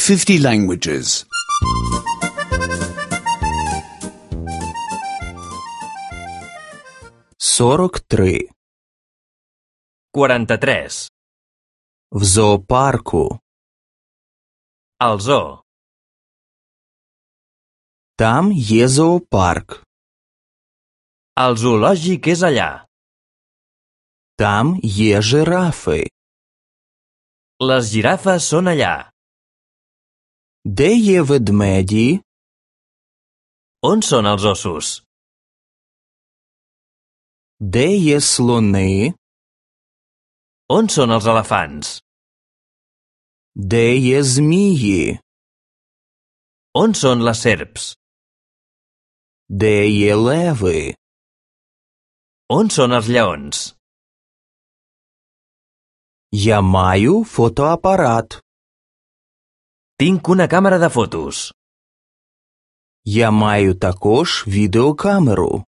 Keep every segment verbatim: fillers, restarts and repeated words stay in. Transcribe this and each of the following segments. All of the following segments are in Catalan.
fifty languages. сорок три. quaranta-tres. В зоопарку. Al zoo. Там є зоопарк. El zoològic és allà. Там є жирафи. Les girafes són allà. Де є ведмеді? On són els ossos? Де є слони? On són els elefants? Де є змії? On són les serps? Де є леви? On són els lleons? Я маю фотоапарат. Tinc una càmera de fotos. Я маю також відеокамеру.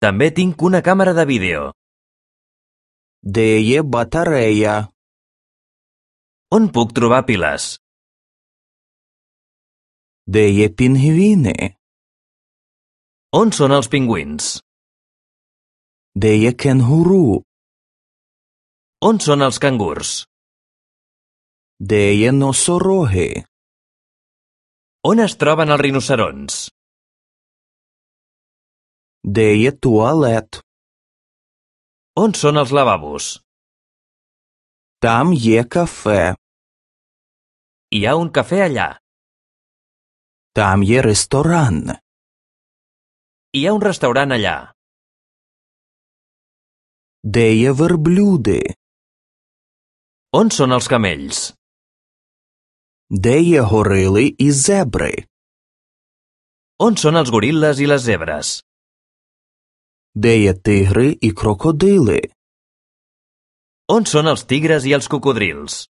També tinc una càmera de vídeo. Де є батарея? On puc trobar piles? Де є пінгвіни? On són els pingüins? Де є кенгуру? On són els cangurs? Де є носороги? On es troben els rinoceronts? Де є туалет? On són els lavabos? Там є кафе. Hi ha un cafè allà. Там є ресторан. Hi ha un restaurant allà. Де є верблюди? On són els camells? Де є горили і зебри? On són els goril·les i les zebres? Де є тигри і крокодили? On són els tigres i els cocodrils?